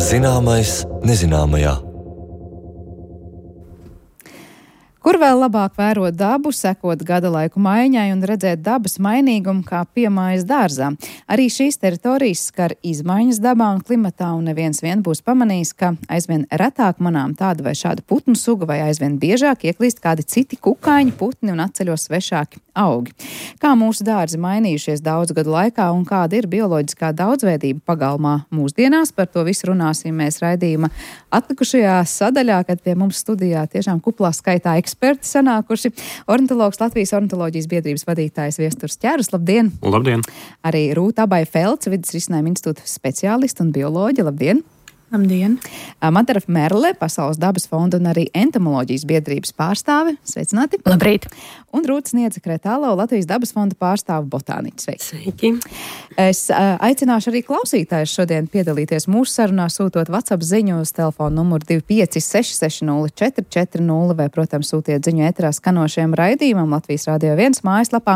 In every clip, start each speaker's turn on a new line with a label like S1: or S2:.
S1: Zināmais nezināmajā.
S2: Kur vēl labāk vērot dabu, sekot gada laiku maiņai un redzēt dabas mainīgumu kā piemājas dārzā. Arī šīs teritorijas skar izmaiņas dabā un klimatā, un neviens vien būs pamanījis, ka aizvien retāk manām tāda vai šāda putnu suga, vai aizvien biežāk ieklīst kādi citi kukaiņi, putni un atceļos svešāki augi. Kā mūsu dārzi mainījušies daudzu gadu laikā un kāda ir bioloģiskā daudzveidība pagalmā mūsdienās, par to visu runāsim mēs raidījuma atlikušajā sadaļā, kad pie mums studijā tiešām kuplā skaitā eksperti sanākuši. Ornitologs, Latvijas ornitoloģijas biedrības vadītājs Viesturs Ķērus, labdien!
S3: Labdien!
S2: Arī Rūta Abai-Felce, vidas risinājuma institūta speciālista un bioloģe, labdien!
S4: Labdien!
S2: Madara Merle, Pasaules dabas fonda un arī entomoloģijas biedrības pārstāve, sveicināti!
S4: Labrīt!
S2: Un Rūta Sniedze-Kretālo, Latvijas dabas fonda pārstāve, botāniķi, sveiki!
S4: Sveiki!
S2: Es aicināšu arī klausītājus šodien piedalīties mūsu sarunā, sūtot WhatsApp ziņu uz telefonu numuru 25660 vai, protams, sūtiet ziņu ēterā skanošiem raidījumam Latvijas Radio 1 mājaslapā.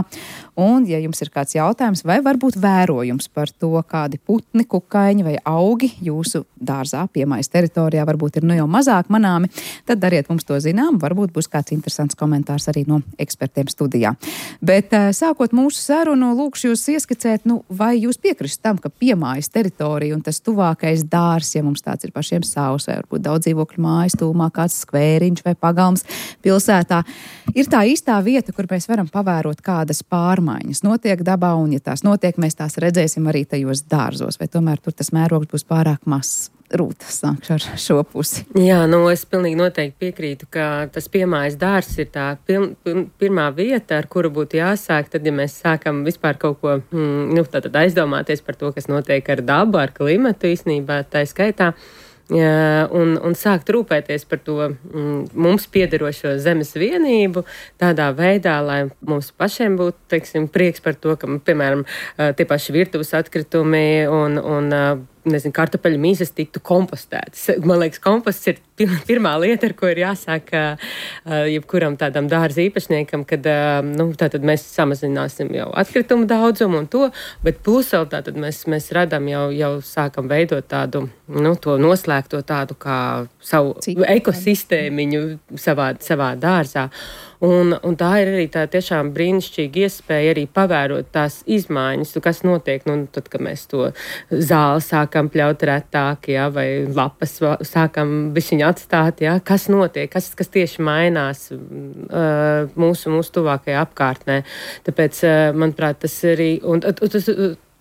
S2: Un, ja jums ir kāds jautājums vai varbūt vērojums par to, kādi putni, kukaiņi vai augi jūsu dārzā, piemājas teritorijā varbūt ir jau mazāk manāmi, tad dariet mums to zinām, varbūt būs kāds interesants komentārs arī no ekspertiem studijā. Bet sākot mūsu sarunu, lūkšu jūs ieskicēt, vai jūs piekrist tam, ka piemājas teritorija un tas tuvākais dārs, ja mums tāds ir pašiem savs, vai varbūt daudz dzīvokļu mājas tūmā, kāds skvēriņš vai pagalms pilsētā, ir tā īstā vieta, kur mēs varam pavērot kādas pārmaiņas notiek dabā, un ja tās notiek, mēs tās redzēsim arī tajos dārzos, vai tomēr tur tas mērogs būs pārāk mazs. Rūta, sākšu ar šo pusi.
S4: Jā, es pilnīgi noteikti piekrītu, ka tas piemājas dārzs ir tā pirmā vieta, ar kuru būtu jāsāk, tad, ja mēs sākam vispār kaut ko, tātad aizdomāties par to, kas notiek ar dabu, ar klimatu īstenībā, tā skaitā, un sākt rūpēties par to mums piederošo zemes vienību tādā veidā, lai mums pašiem būtu, teiksim, prieks par to, ka, piemēram, tie paši virtuves atkritumi un kartupeļu mīzes tiktu kompostētas. Man liekas, komposts ir pirmā lieta, ar ko ir jāsāk jebkuram tādam dārza īpašniekam, kad tātad mēs samazināsim jau atkritumu daudzumu un to, bet plus vēl tātad mēs radam jau sākam veidot tādu, to noslēgto tādu kā savu ekosistēmiņu savā dārzā. Un tā ir arī tā tiešām brīnišķīga iespēja arī pavērot tās izmaiņas, kas notiek, tad, kad mēs to zāli sākam pļaut retāk, vai lapas sākam bišķiņu atstāt, kas notiek, kas tieši mainās mūsu tuvākajā apkārtnē. Tāpēc, manuprāt, tas arī,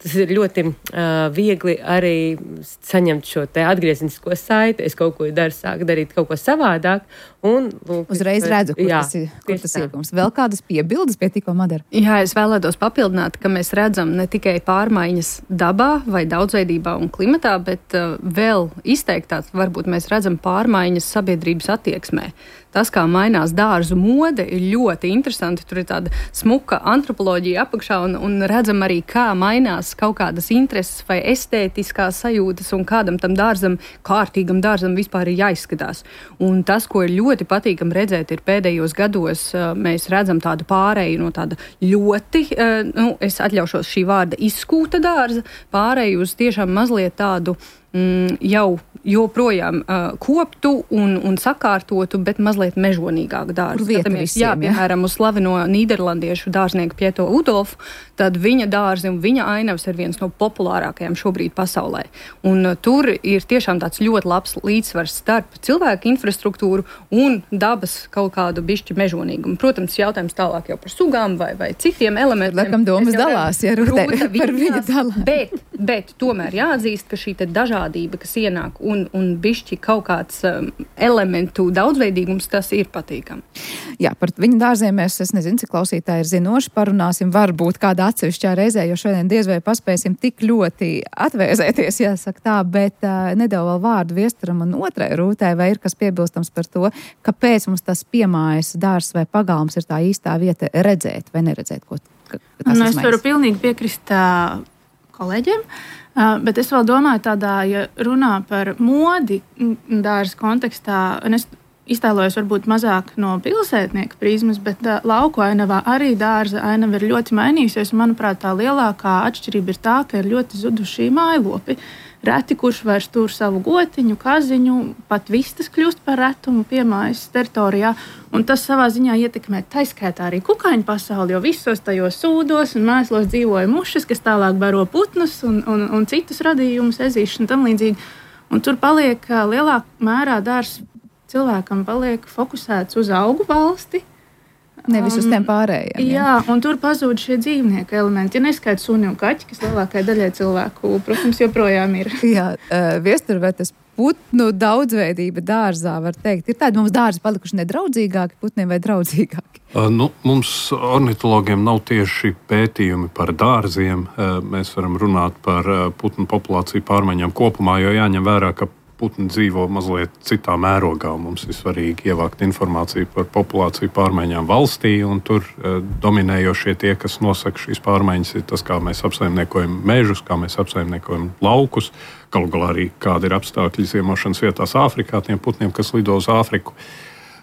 S4: tas ir ļoti viegli arī saņemt šo te atgriezenisko saiti. Es kaut ko sāku darīt kaut ko savādāk.
S2: Uzreiz redzu, kur tas iegums. Vēl kādas piebildes pie tikko Madara?
S5: Jā, es vēlētos papildināt, ka mēs redzam ne tikai pārmaiņas dabā vai daudzveidībā un klimatā, bet vēl izteiktāk varbūt mēs redzam pārmaiņas sabiedrības attieksmē. Tas, kā mainās dārzu mode, ir ļoti interesanti. Tur ir tāda smuka antropoloģija apakšā un redzam arī, kā mainās kaut kādas intereses vai estētiskās sajūtas un kādam tam dārzam, kārtīgam dārzam vispār ir jāizskatās. Un tas, ko ir ļoti patīkam redzēt, ir pēdējos gados mēs redzam tādu pāreju no tāda ļoti, es atļaušos šī vārda izskūta dārza, pāreju uz tiešām mazliet tādu jau joprojām koptu un sakārtotu, bet mazliet mežonīgāku dārzu. Piemēram, uz slaveno nīderlandiešu dārznieku Pieto Udolfu, tad viņa dārzi un viņa ainavas ir viens no populārākajiem šobrīd pasaulē. Un tur ir tiešām tāds ļoti labs līdzsvars starp cilvēku infrastruktūru un dabas kaut kādu bišķi mežonīgumu. Protams, jautājums tālāk jau par sugām vai citiem elementiem.
S2: Laikam domas dalās, ja Rūta par viņa dalās.
S5: Bet tomēr jāatzīst, ka šī te dažādība, kas ienāk un bišķi kaut kāds elementu daudzveidīgums, tas ir patīkami.
S2: Jā, par viņu dārziem es nezinu, cik klausītāji ir zinoši, parunāsim varbūt kādā atsevišķā reizē, jo šodien diez vai paspēsim tik ļoti atvēzēties, jāsaka tā, bet nedevu vēl vārdu Viesturam un otrai Rūtai, vai ir kas piebilstams par to, kāpēc mums tas piemājas dārzs vai pagalms ir tā īstā vieta redzēt vai neredzēt, ko tas izmaiņas.
S6: Es varu pilnīgi piekrist kolēģiem. Bet es vēl domāju tādā, ja runā par modi dārza kontekstā, un es iztēlojos varbūt mazāk no pilsētnieka prizmas, bet lauku ainavā arī dārza ainava ir ļoti mainījusies. Manuprāt, tā lielākā atšķirība ir tā, ka ir ļoti zuduši mājlopi. Reti, kurš vairs tur savu gotiņu, kaziņu, pat vistas kļūst par retumu piemājas teritorijā. Un tas savā ziņā ietekmē taiskaitā arī kukaiņu pasauli, jo visos tajos sūdos un mēslos dzīvoja mušas, kas tālāk baro putnus un citus radījumus, ezīšus un tam līdzīgi. Un tur paliek lielākā mērā dārs cilvēkam paliek fokusēts uz augu valsti.
S2: Nevis uz tiem pārējiem.
S6: Jā, un tur pazūd šie dzīvnieku elementi. Ja neskaita suni un kaķi, kas lielākajai daļai cilvēku, protams, joprojām ir.
S2: Jā, Viestur, vai tas putnu daudzveidība dārzā, var teikt, ir tādi mums dārzi palikuši nedraudzīgāki putniem vai draudzīgāki?
S3: Mums ornitologiem nav tieši pētījumi par dārziem. Mēs varam runāt par putnu populāciju pārmaiņām kopumā, jo jāņem vērā, ka putni dzīvo mazliet citā mērogā. Mums ir svarīgi ievākt informāciju par populāciju pārmaiņām valstī, un tur dominējošie tie, kas nosaka šīs pārmaiņas, ir tas, kā mēs apsaimniekojam mežus, kā mēs apsaimniekojam laukus, galu galā arī kādi ir apstākļi ziemošanas vietās Āfrikā, tiem putniem, kas lido uz Āfriku.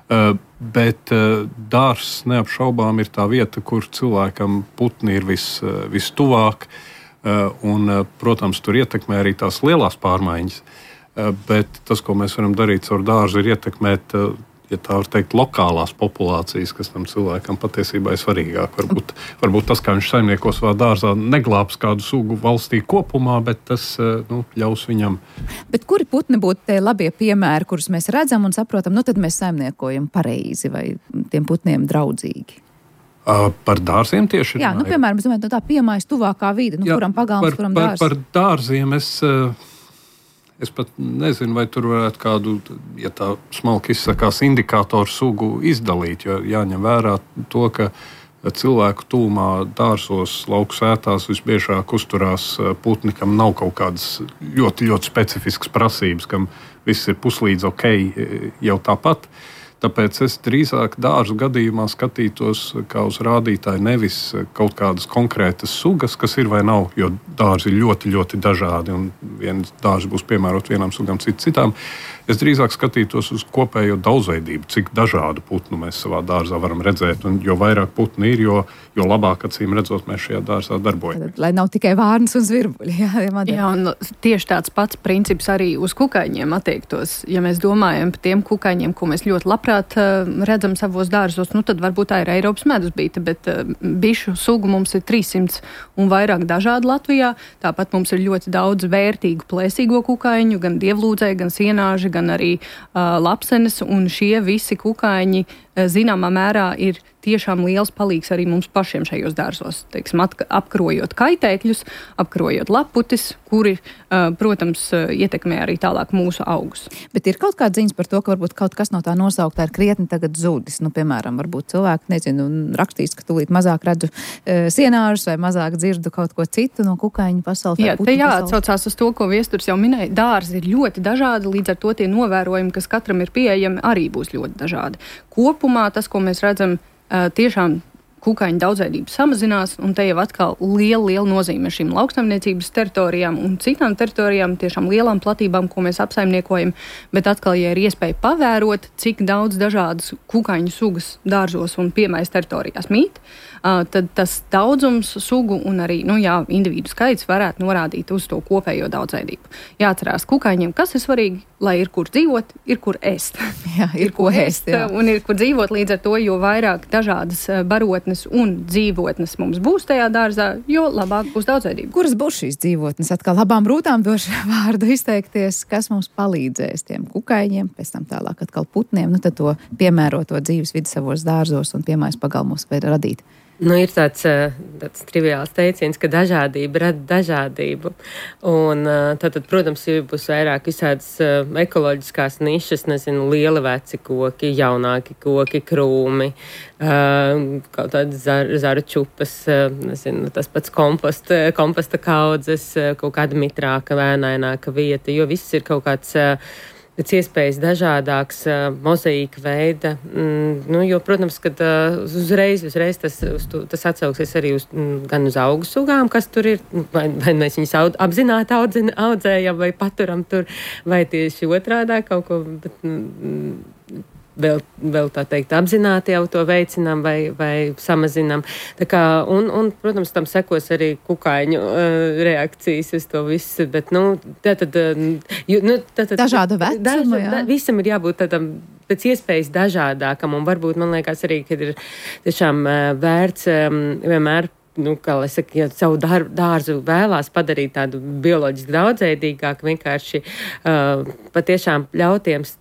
S3: Bet dārzs neapšaubām ir tā vieta, kur cilvēkam putni ir vistuvāk, un, protams, tur ietekmē arī tās lielās pārmaiņas. Bet tas, ko mēs varam darīt caur dārzu, ir ietekmēt, ja tā var teikt, lokālās populācijas, kas tam cilvēkam patiesībā ir svarīgāk. Varbūt tas, kā viņš saimnieko savā dārzā, neglābs kādu sugu valstī kopumā, bet tas ļaus viņam.
S2: Bet kuri putni būtu tie labie piemēri, kurus mēs redzam un saprotam, tad mēs saimniekojam pareizi vai tiem putniem draudzīgi?
S3: Par dārziem tieši?
S2: Jā, piemēram, es domāju, tā piemājas tuvākā vide, kuram pagalms, kuram dārs.
S3: Par dārziem es pat nezinu, vai tur varētu kādu, ja tā smalki izsakās, indikātoru sugu izdalīt, jo jāņem vērā to, ka cilvēku tūmā dārzos, lauku sētās visbiežāk uzturās putni, kam nav kaut kādas ļoti, ļoti specifiskas prasības, kam viss ir puslīdz ok jau tāpat. Tāpēc es drīzāk dārzu gadījumā skatītos kā uz rādītāju nevis kaut kādas konkrētas sugas, kas ir vai nav, jo dārzi ir ļoti, ļoti dažādi un viens dārzi būs piemērot vienām sugām, citām. Es drīzāk skatītos uz kopējo daudzveidību, cik dažādu putnu mēs savā dārzā varam redzēt, un jo vairāk putnu ir, jo labāk acīm redzot mēs šajā dārzā darbojamies.
S2: Lai nav tikai vārnas un zvirbuļi.
S5: Jā, un tieši tāds pats princips arī uz kukaiņiem attiektos. Ja mēs domājam par tiem kukaiņiem, ko mēs ļoti labprāt redzam savos dārzos, tad varbūt tā ir Eiropas medusbīte, bet bišu sugu mums ir 300 un vairāk dažādu Latvijā. Tāpat mums ir ļoti daudz vērtīgu plēsīgo kukaiņu, gan dievlūdzēji, gan sienāži, gan arī lapsenes, un šie visi kukaiņi zināmā mērā ir tiešām liels palīgs arī mums pašiem šajos dārzos, teiksim, apkarojot kaitēkļus, apkarojot laputis, kuri, protams, ietekmē arī tālāk mūsu augus.
S2: Bet ir kaut kāda ziņas par to, ka varbūt kaut kas no tā nosauktā ir krietni tagad zudis. Piemēram, varbūt cilvēki, rakstīs, ka tūlīt mazāk redzu sienāžus vai mazāk dzirdu kaut ko citu no kukaiņu pasaules.
S5: Jā, te jāatsaucās uz to, ko Viesturs jau minēja. Dārzi ir ļoti dažādi, līdz ar to tie novērojumi, kas katram ir pieejami, arī būs ļoti dažādi. Kopumā tas, ko mēs redzam, tiešām kukaiņu daudzveidība samazinās, un te jau atkal liela nozīme šīm lauksaimniecības teritorijām un citām teritorijām, tiešām lielām platībām, ko mēs apsaimniekojam, bet atkal, ja ir iespēja pavērot, cik daudz dažādas kukaiņu sugas dārzos un piemējas teritorijās mīt, tad tas daudzums sugu un arī, individu skaits varētu norādīt uz to kopējo daudzveidību. Jāatcerās kukaiņiem, kas ir svarīgi, lai ir kur dzīvot, ir kur ēst.
S2: Jā, ir ko ēst, jā.
S5: Un ir kur dzīvot, līdz ar to, jo vairāk dažādas barotnes un dzīvotnes mums būs tajā dārzā, jo labāk būs daudzveidība.
S2: Kuras būs šīs dzīvotnes? Atkal labām rūtām došu vārdu izteikties, kas mums palīdzēs tiem kukaiņiem, pēc tam tālāk atkal putniem, tad to piemēroto dzīves vidi savos dārzos un piemājas pagalmos vai radīt.
S4: Ir tāds triviāls teiciens, ka dažādība rada dažādību. Un tad, protams, būs vairāk visādas ekoloģiskās nišas, lieli veci koki, jaunāki koki, krūmi, kaut tādas zaru čupas, tas pats komposta kaudzes, kaut kāda mitrāka, vēnaināka vieta, jo viss ir kaut kāds pēc iespējas dažādāks mozaīka veida. Jo, protams, ka uzreiz tas atsauksies arī gan uz augu sugām, kas tur ir, vai mēs viņus apzināti audzējam vai paturam tur, vai tieši otrādā kaut ko. vēl tā teikt apzināti jau to veicinām vai samazinām. Tā kā, un, protams, tam sekos arī kukaiņu reakcijas uz to visu, bet, tātad
S2: dažāda vecuma, jā.
S4: Visam ir jābūt tādam pēc iespējas dažādākam, un varbūt, man liekas arī, kad ir tiešām vērts vienmēr, kā lai saka, ja savu dārzu vēlās padarīt tādu bioloģiski daudzveidīgāku, vienkārši patiešām ļauties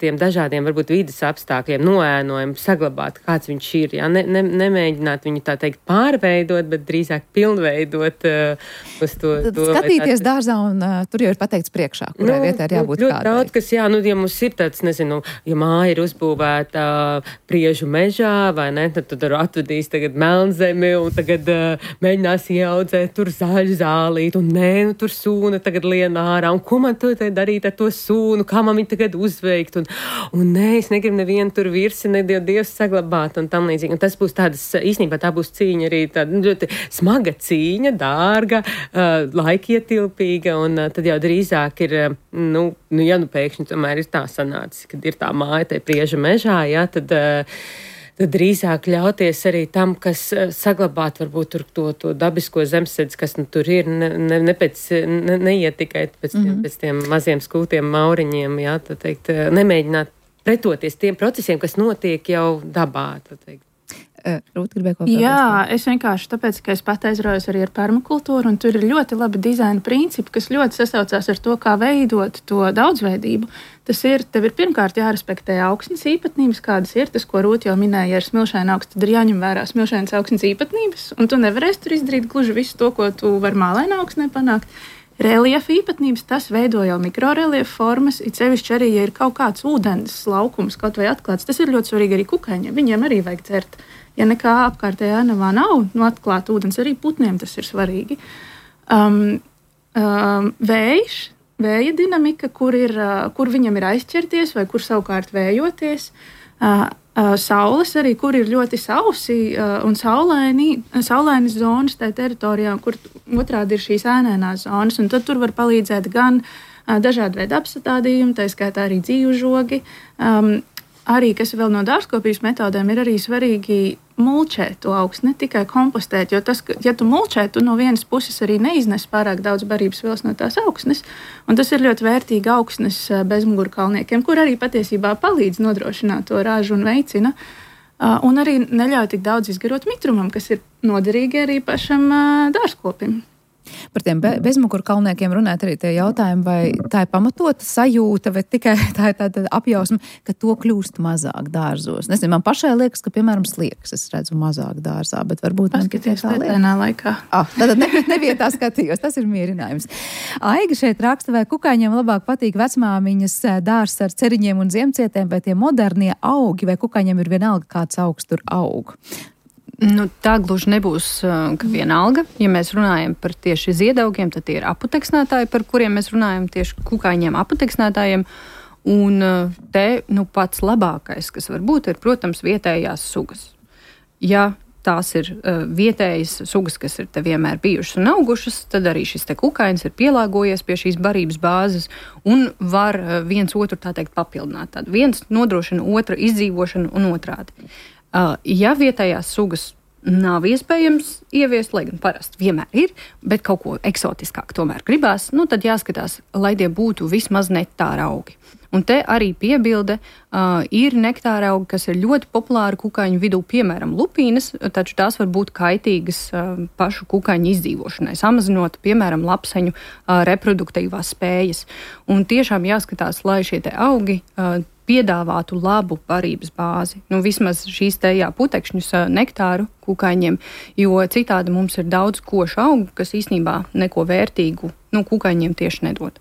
S4: tiem dažādiem, varbūt vides apstākļiem, noēnojumu saglabāt, kāds viņš ir. Jā? Nemēģināt viņu tā teikt pārveidot, bet drīzāk pilnveidot uz to.
S2: Skatīties dārzā un tur jau ir pateikts priekšā, kurai vietā ir jābūt kādai.
S4: Daudz, kas, jā, ja mums ir tāds, nezinu, ja māja ir uzbūvēta Priežu mežā, vai ne, tad tur atvedīs tagad melnzemi un tagad mēģinās ieaudzēt tur zaļu zālīt un tur sūna tagad lien ārā. Un ko man to darīt ar to sūnu? Kā man viņu tagad uzveikt? Un es negribu nevienu tur virsi, Dievs saglabāt un tam līdzīgi. Un tas būs īstenībā tā būs cīņa arī tāda ļoti smaga cīņa, dārga, laikietilpīga, un tad jau drīzāk ir, ja pēkšņi tomēr ir tā sanācis, kad ir tā māja tai Prieža mežā, jā, tad drīzāk ļauties arī tam, kas saglabāt varbūt tur to dabisko zemesēdzi, kas tur ir, neiet tikai pēc tiem maziem skūtiem mauriņiem, jā, tā teikt, nemēģināt pretoties tiem procesiem, kas notiek jau dabā, tā teikt.
S2: Rūta gribēja kaut kā
S6: Jā, es vienkārši tāpēc, ka es pat aizraujos arī ar permakultūru, un tur ir ļoti labi dizaina principi, kas ļoti sasaucās ar to, kā veidot to daudzveidību. Tev ir pirmkārt jārespektē augsnes īpatnības, kādas ir, tas, ko Rūta jau minēja, ja ir smilšaina augsts, tad ir jāņem vērā smilšainas augsnes īpatnības, un tu nevarēsi tur izdarīt gluži visu to, ko tu vari mālaina augsnē panākt. Reliefa īpatnības, tas veido jau mikroreliefa formas, it sevišķi arī, ja ir kaut kāds ūdens laukums, kaut vai atklāts, tas ir ļoti svarīgi arī kukaiņiem, viņiem arī vajag dzert. Ja nekā apkārtējā ainavā nav, atklāta ūdens, arī putniem tas ir svarīgi. Vēja dinamika, kur viņam ir aizķerties vai kur savukārt vējoties. Saules arī, kur ir ļoti sausi un saulainas zonas tajā teritorijā, kur otrādi ir šīs ēnēnās zonas, un tad tur var palīdzēt gan dažādi veidi apstādījumi, tā skaitā arī dzīvžogi. Arī, kas vēl no dārzkopības metodēm, ir arī svarīgi mulčēt to augstu, ne tikai kompostēt, jo tas, ja tu mulčē, tu no vienas puses arī neiznes pārāk daudz barības vielas no tās augsnes, un tas ir ļoti vērtīgi augsnes bezmugurkalniekiem, kur arī patiesībā palīdz nodrošināt to ražu un veicina, un arī neļauj tik daudz izgarot mitrumam, kas ir noderīgi arī pašam dārzkopim.
S2: Par tiem bezmugurkalniekiem runāt arī tie jautājumi, vai tā ir pamatota sajūta, vai tikai tā ir tāda apjausma, ka to kļūst mazāk dārzos. Nezinu, man pašai liekas, ka, piemēram, sliekas es redzu mazāk dārzā, bet varbūt man tikai tā
S6: liekas. Laikā.
S2: Tātad nevietā skatījos, tas ir mierinājums. Aiga šeit raksta, vai kukaiņiem labāk patīk vecmāmiņas dārzs ar ceriņiem un ziemcietēm, vai tie modernie augi, vai kukaiņiem ir vienalga kāds augs tur aug.
S5: Tā gluži nebūs, ka vienalga. Ja mēs runājam par tieši ziedaugiem, tad tie ir aputeksnētāji, par kuriem mēs runājam tieši kukaiņiem aputeksnētājiem. Un te pats labākais, kas var būt, ir, protams, vietējās sugas. Ja tās ir vietējas sugas, kas ir te vienmēr bijušas un augušas, tad arī šis te kukainis ir pielāgojies pie šīs barības bāzes un var viens otru, tā teikt, papildināt. Tad viens nodrošina otra izdzīvošanu un otrādi. Ja vietējās sugas nav iespējams ieviest, lai gan parasti vienmēr ir, bet kaut ko eksotiskāk tomēr gribās, tad jāskatās, lai tie būtu vismaz nektāra augi. Un te arī piebilde ir nektāra augi, kas ir ļoti populāri kukaiņu vidū, piemēram, lupīnas, taču tās var būt kaitīgas pašu kukaiņu izdzīvošanai, samazinot, piemēram, lapseņu reproduktīvās spējas. Un tiešām jāskatās, lai šie te augi piedāvātu labu barības bāzi. Vismaz šīs te putekšņus nektāru kukaiņiem, jo citādi mums ir daudz košu augu, kas īstenībā neko vērtīgu kukaiņiem tieši nedod.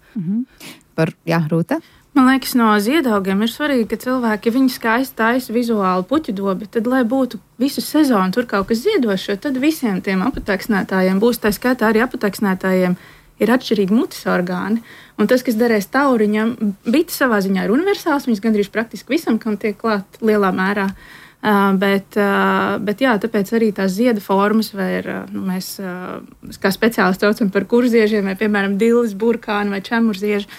S2: Rūta?
S6: Man liekas, no ziedaugiem ir svarīgi, ka cilvēki, ja viņi skaisti taisa vizuāli puķu dobi, tad, lai būtu visu sezonu tur kaut kas ziedošs, tad visiem tiem aputeksnētājiem būs, tā skaitā arī aputeksnētājiem, ir atšķirīgi mutes orgāni. Un tas, kas derēs tauriņam, bites savā ziņā ir universāls, viņas gandrīz praktiski visam, kam tiek klāt lielā mērā. Bet jā, tāpēc arī tās zieda formas, vai ir, mēs kā speciālisti saucam par kurziežiem, vai, piemēram, dilles, burkāni vai čemurzieži,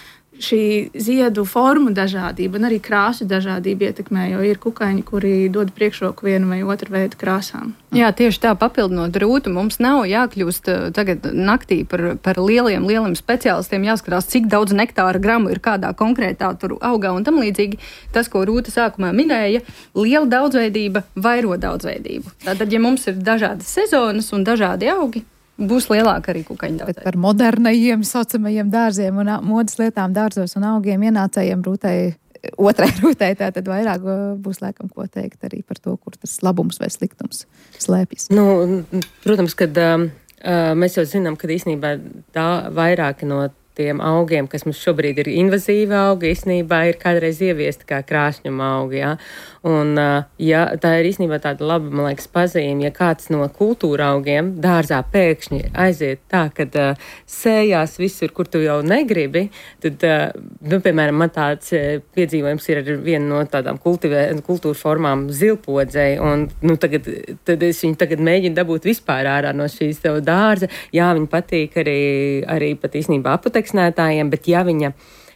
S6: šī ziedu formu dažādība un arī krāsu dažādība ietekmē, jo ir kukaiņi, kuri dod priekšroku vienu vai otru veidu krāsām.
S5: Jā, tieši tā, papildinot Rūtu, mums nav jākļūst tagad naktī par lieliem speciālistiem, jāskatās, cik daudz nektāra gramu ir kādā konkrētā tur augā un tam līdzīgi. Tas, ko Rūta sākumā minēja, liela daudzveidība vairo daudzveidību. Tātad, ja mums ir dažādas sezonas un dažādi augi, būs lielāka arī kukaiņu daudzveidība.
S2: Par modernajiem saucamajiem dārziem un modes lietām dārzos un augiem ienācējiem otrai Rūtai, tātad vairāk būs laikam ko teikt arī par to, kur tas labums vai sliktums slēpjas.
S4: Protams, kad mēs jau zinām, ka īstenībā vairāki no tiem augiem, kas mums šobrīd ir invazīvi augi, īstenībā ir kādreiz ieviesti kā krāšņuma augi. Ja? Un tā ir īstenībā tāda laba, man liekas, pazīme, ja kāds no kultūra augiem dārzā pēkšņi aiziet tā, kad sējās visur, kur tu jau negribi, tad, piemēram, man tāds piedzīvojums ir ar vienu no tādām kultūra formām zilpodzei, un tad es viņu tagad mēģinu dabūt vispār ārā no šīs tev dārza. Jā, viņa patīk arī pat īstenībā apoteksnētājiem, bet ja viņa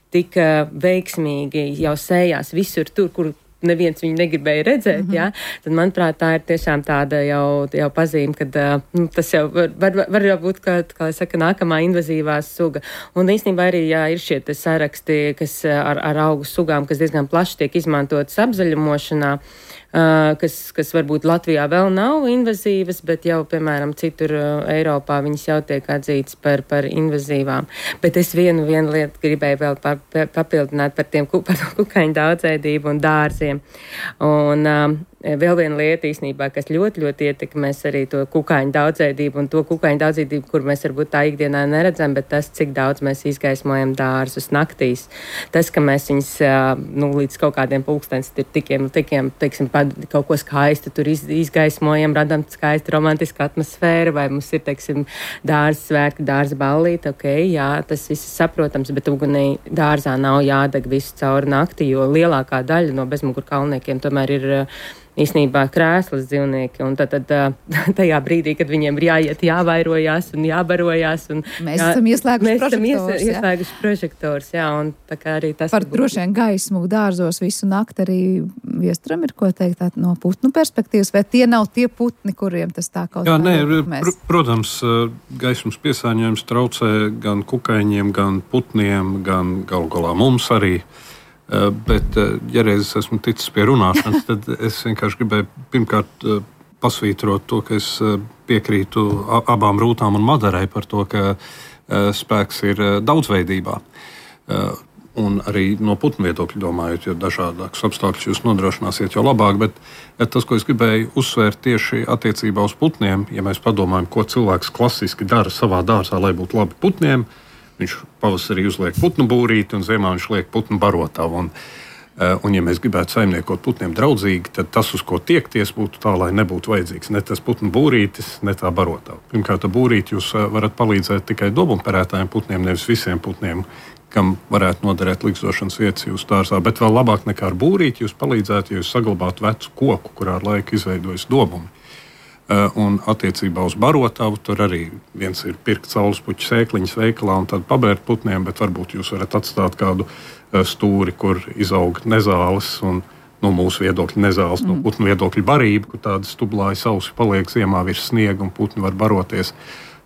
S4: tik veiksmīgi jau sējās visur tur, kur neviens viņu negribēja redzēt, tad, manuprāt, tā ir tiešām tāda jau pazīme, ka tas jau var jau būt, kā saka, nākamā invazīvā suga. Un īstenībā arī, ir šie saraksti, kas ar augu sugām, kas diezgan plaši tiek izmantotas apzaļumošanā, kas varbūt Latvijā vēl nav invazīvas, bet jau, piemēram, citur Eiropā viņas jau tiek atzītas par invazīvām. Bet es vienu lietu gribēju vēl papildināt par kukaiņu daudzveidību un dārziem. Un vēl viena lieta īstenībā, kas ļoti, ļoti ietekmēs arī to kukaiņu daudzveidību un to kukaiņu daudzveidību, kur mēs varbūt tā ikdienā neredzam, bet tas, cik daudz mēs izgaismojam dārzus naktīs. Tas, ka mēs viņus līdz kaut kādiem pulkstens tikiem, teiksim, kaut ko skaistu tur izgaismojam, radam skaistu romantisku atmosfēru, vai mums ir, teiksim, dārza svētki, dārza ballīte, jā, tas viss ir saprotams, bet ugunī dārzā nav jādeg visu cauri nakti, jo lielākā daļa no bezmugurkalniekiem tomēr ir īstenībā krēslas dzīvnieki, un tad tajā brīdī, kad viņiem ir jāiet, jāvairojās un jābarojās. Un,
S2: mēs esam
S4: ieslēguši prožektors, un tā kā arī tas...
S2: Par droši vien gaismu dārzos visu nakti arī Viestram ir ko teikt no putnu perspektīvas, vai tie nav tie putni, kuriem tas tā kaut kā...
S3: Protams, gaismas piesāņojums traucē gan kukaiņiem, gan putniem, gan galu galā mums arī. Bet, ja reiz esmu ticis pie runāšanas, tad es vienkārši gribēju pirmkārt pasvītrot to, ka es piekrītu abām Rūtām un Madarai par to, ka spēks ir daudzveidībā. Un arī no putnu viedokļa domājot, jo dažādākus apstākļus jūs nodrošināsiet, jo labāk. Bet tas, ko es gribēju uzsvērt tieši attiecībā uz putniem, ja mēs padomājam, ko cilvēks klasiski dara savā dārzā, lai būtu labi putniem, viņš pavasarī uzliek putnu būrīti un ziemā viņš liek putnu barotavu. Un ja mēs gribētu saimniekot putniem draudzīgi, tad tas, uz ko tiekties, būtu tā, lai nebūtu vajadzīgs ne tas putnu būrītis, ne tā barotava. Pirmkārt, būrīti jūs varat palīdzēt tikai dobumperētājiem putniem, nevis visiem putniem, kam varētu noderēt likstošanas vietas jūsu dārzā. Bet vēl labāk nekā ar būrīti jūs palīdzētu, ja jūs saglabātu vecu koku, kurā ar laiku izveidojas dobumi. Un attiecībā uz barotavu tur arī viens ir pirkt saulespuķu sēkliņas veikalā un tad pabērt putniem, bet varbūt jūs varat atstāt kādu stūri, kur izaug nezāles un no mūsu viedokļa nezāles, no putnu viedokļa barība, kur tāda stublāja sausi paliek ziemā virs sniega un putni var baroties.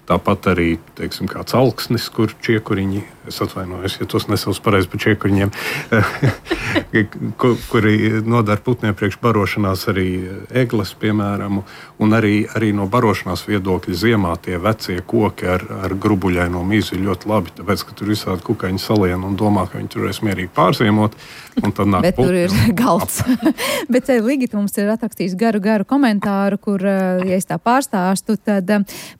S3: Tāpat arī, teiksim, kāds alksnis, kur čiekuriņi, es atvainojos, ja tos nesauc pareizi par čiekuriņiem, kuri nodara putniem priekš barošanās arī egles, piemēram, un arī no barošanās viedokļa ziemā tie vecie koki ar grubuļaino mīzu ir ļoti labi, tāpēc, ka tur visādi kukaiņi salien un domā, ka viņi tur varēs mierīgi pārziemot, un tad nāk
S2: bet
S4: putni.
S2: Bet tur ir galds. Bet Ligita mums ir atrakstījis garu komentāru, kur, ja es tā pārstāstu, tad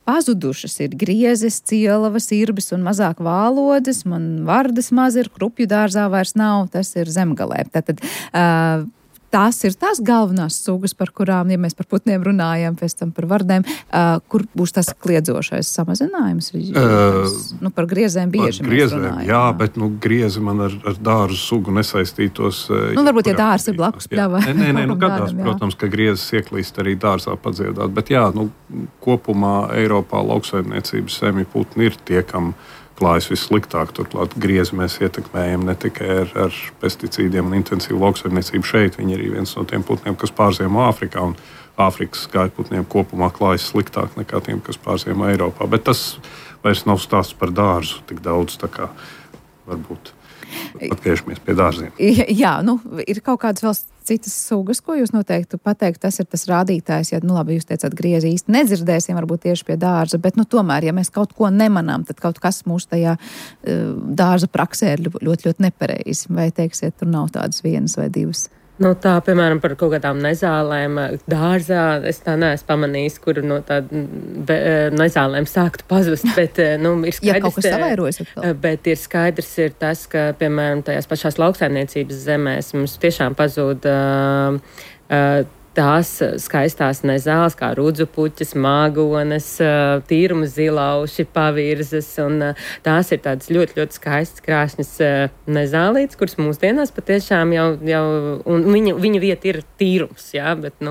S2: pazudušas ir griezes, cielavas, irbis un mazāk vālodes, man vardas maz ir, krupju dārzā vairs nav, tas ir zemgalē. Tātad tās ir tās galvenās sugas, par kurām, ja mēs par putniem runājam, pēc tam par vardēm, kur būs tas kliedzošais samazinājums? Par griezēm bieži mēs runājam.
S3: Jā, bet griezi man ar dārzu sugu nesaistītos.
S2: Varbūt, ja dārs ir blakus pļava.
S3: Nē, gadās, protams, ka griezes ieklīst arī dārzā padziedāt, bet jā, kopumā Eiropā lauksaimniecības semju putni ir tie, kam klājas vissliktāk. Turklāt griezi mēs ietekmējam ne tikai ar pesticīdiem un intensīvu lauksaimniecību šeit, viņi ir viens no tiem putniem, kas pārziemo Āfrikā, un Āfrikas gaļputniem kopumā klājas sliktāk nekā tiem, kas pārziemo Eiropā. Bet tas vairs nav stāsts par dārzu tik daudz, tā kā varbūt atgriežamies pie dārziem.
S2: Jā, ir kaut kādas vēl citas sugas, ko jūs noteikti pateikt, tas ir tas rādītājs, ja, labi, jūs teicāt, griezi īsti nedzirdēsim, varbūt tieši pie dārza, bet, tomēr, ja mēs kaut ko nemanām, tad kaut kas mūsu tajā dārza praksē ir ļoti, ļoti nepareizi. Vai teiksiet, tur nav tādas vienas vai divas?
S4: Tā, piemēram, par kaut kādām nezālēm dārzā, es tā neesmu pamanījis, kur no tādām nezālēm sāktu pazust, bet, ir skaidrs,
S2: ja kaut kas savairojas atkal.
S4: Bet ir skaidrs ir tas, ka, piemēram, tajās pašās lauksaimniecības zemēs mums tiešām pazūd tās skaistās nezāles, kā rudzupuķis, māgones, tīruma zilauši, pavirzes, un tās ir tādas ļoti, ļoti skaistas krāšņas nezālītes, kuras mūsdienās patiešām jau un viņa vieta ir tīrums, jā, bet,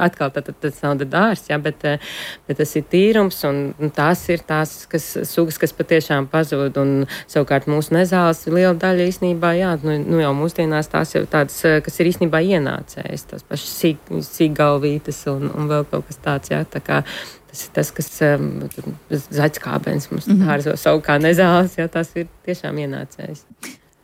S4: atkal tas nav dārs, jā, bet tas ir tīrums, un tās ir tās sugas, kas patiešām pazūd, un savukārt mūsu nezāles liela daļa īstenībā, jā, jau mūsdienās tās jau tādas, kas ir īstenībā ienācējas, tās pašas sīkgalvītes un vēl kaut kas tāds, jā, tā kā tas ir tas, kas zaķskābens mums dārzo savu kā nezāles, jā, tās ir tiešām ienācējas.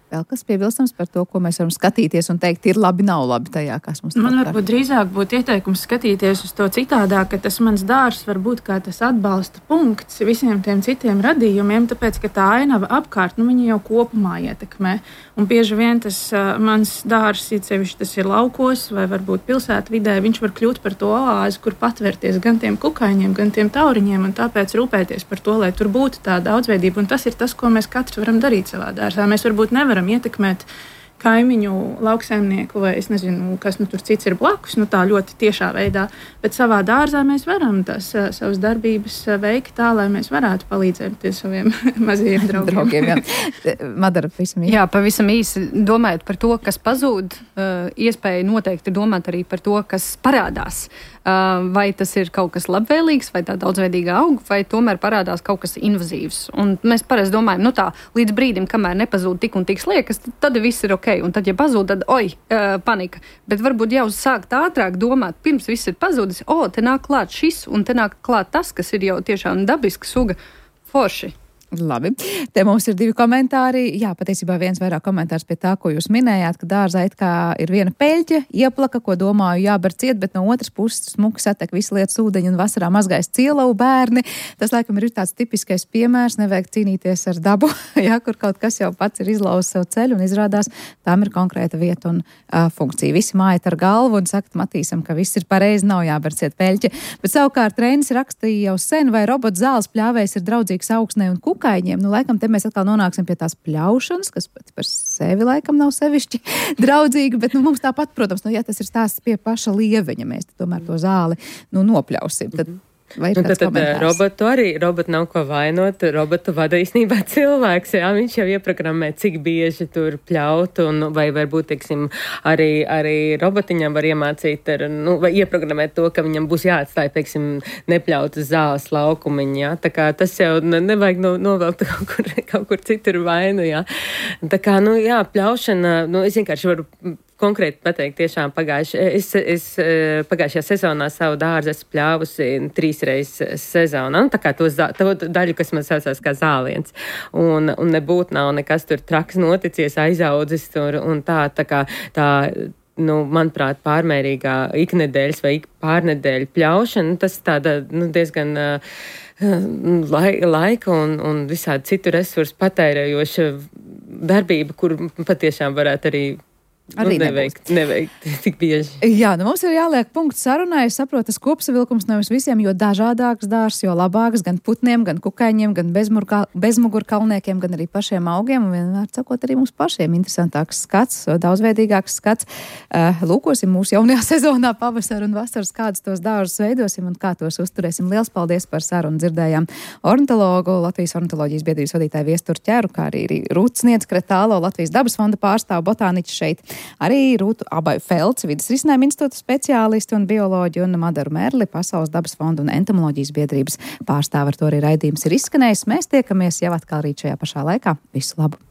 S2: Vēl kas piebilstams par to, ko mēs varam skatīties un teikt, ir labi, nav labi tajā, kas mums
S6: Man varbūt drīzāk būtu ieteikums skatīties uz to citādāk, ka tas mans dārs var būt kā tas atbalsta punkts visiem tiem citiem radījumiem, tāpēc, ka tā ainava apkārt, viņa jau kopumā ietekmē. Un bieži vien tas mans dārs, sevišķi tas ir laukos vai varbūt pilsētvidē, viņš var kļūt par to oāzi, kur patvērties gan tiem kukaiņiem, gan tiem tauriņiem, un tāpēc rūpēties par to, lai tur būtu tā daudzveidība. Un tas ir tas, ko mēs katrs varam darīt savā dārzā. Mēs varbūt nevaram ietekmēt kaimiņu, lauksaimnieku vai es nezinu, kas tur cits ir blakus, tā ļoti tiešā veidā, bet savā dārzā mēs varam tās savas darbības veikt tā, lai mēs varētu palīdzēt saviem mazajiem draugiem.
S2: Madara, pavisam īsi.
S5: Jā, pavisam īsi domājot par to, kas pazūd, iespēja noteikti domāt arī par to, kas parādās. Vai tas ir kaut kas labvēlīgs, vai tā daudzveidīga auga, vai tomēr parādās kaut kas invazīvs. Un mēs parasti domājam, līdz brīdim, kamēr nepazūd tik un tik sliekas, tad viss ir ok. Un tad, ja pazūd, tad panika. Bet varbūt jau sākt ātrāk domāt, pirms viss ir pazūdis, te nāk klāt šis, un te nāk klāt tas, kas ir jau tiešām dabiska suga, forši.
S2: Labi, te mums ir 2 komentāri. Jā, patiesībā viens vairāk komentārs pie tā, ko jūs minējāt, ka dārzā it kā ir viena peļķa, ieplaka, ko domāju jāber ciet, bet no otras puses smuki satek visu lietas ūdeņu un vasarā mazgājas cielavu bērni. Tas, laikam, ir tāds tipiskais piemērs, nevajag cīnīties ar dabu, jā, kur kaut kas jau pats ir izlauzis savu ceļu un izrādās, tām ir konkrēta vieta un funkcija. Visi mājat ar galvu un saka Matīsam, ka viss ir pareizi, nav jāber ciet peļķa. Bet savukārt Reinis rakstīja jau sen, vai robots zāles pļāvējs ir draudzīgs augsnē un kukaiņiem. Laikam te mēs atkal nonāksim pie tās pļaušanas, kas pat par sevi laikam nav sevišķi draudzīga, bet mums tāpat, protams, ja tas ir stāsts pie paša lieveņa, mēs tomēr to zāli nopļausim. Tad vai ir kāds komentārs?
S4: Robotu nav ko vainot, robotu vada īstenībā cilvēks, jā, viņš jau ieprogrammē, cik bieži tur pļaut, un vai varbūt, teiksim, arī robotiņam var iemācīt, vai ieprogrammēt to, ka viņam būs jāatstāj, teiksim, nepļautas zāles laukumiņi, jā, tā kā tas jau nevajag novelt kaut kur citur vainu, jā. Tā kā, jā, pļaušana, es vienkārši varu konkrēti pateikt, tiešām pagājušajā sezonā savu dārzu esmu pļāvusi 3 reizes sezonā. Tā kā to daļu, kas man saucās kā zāliens. Un nebūtu nav nekas tur traks noticies, aizaudzis tur un tā kā manuprāt, pārmērīgā iknedēļas vai pārnedēļu pļaušana, tas tāda, diezgan laika un visādi citu resursu patērējoša darbība, kur patiešām varētu arī neveikt tik bieži.
S2: Jā, mums ir jāliek punkts sarunai. Es saprotu, tas kopsavilkums nevis visiem, jo dažādāks dārs, jo labāks gan putniem, gan kukaiņiem, gan bezmugurkalniekiem, gan arī pašiem augiem. Un vienmēr sakot, arī mums pašiem interesantāks skats, daudzveidīgāks skats. Lūkosim mūsu jaunajā sezonā pavasara un vasaras, kādus tos dārzus veidosim un kā tos uzturēsim. Liels paldies par sarunu. Dzirdējām ornitologu, Latvijas ornitoloģijas biedrības vadītāju Viesturu Ķeru, kā arī Rūts Sniedz Kretālo, Latvijas dabas fonda pārstāvu, botāniķis šeit Arī Rūtu Abaju Felci, vidas risinājuma institūta speciālisti un bioloģi, un Madaru Merli, Pasaules dabas fonda un entomoloģijas biedrības pārstāve. Ar to arī raidījums ir izskanējis. Mēs tiekamies jau atkal rīt šajā pašā laikā. Visu labu!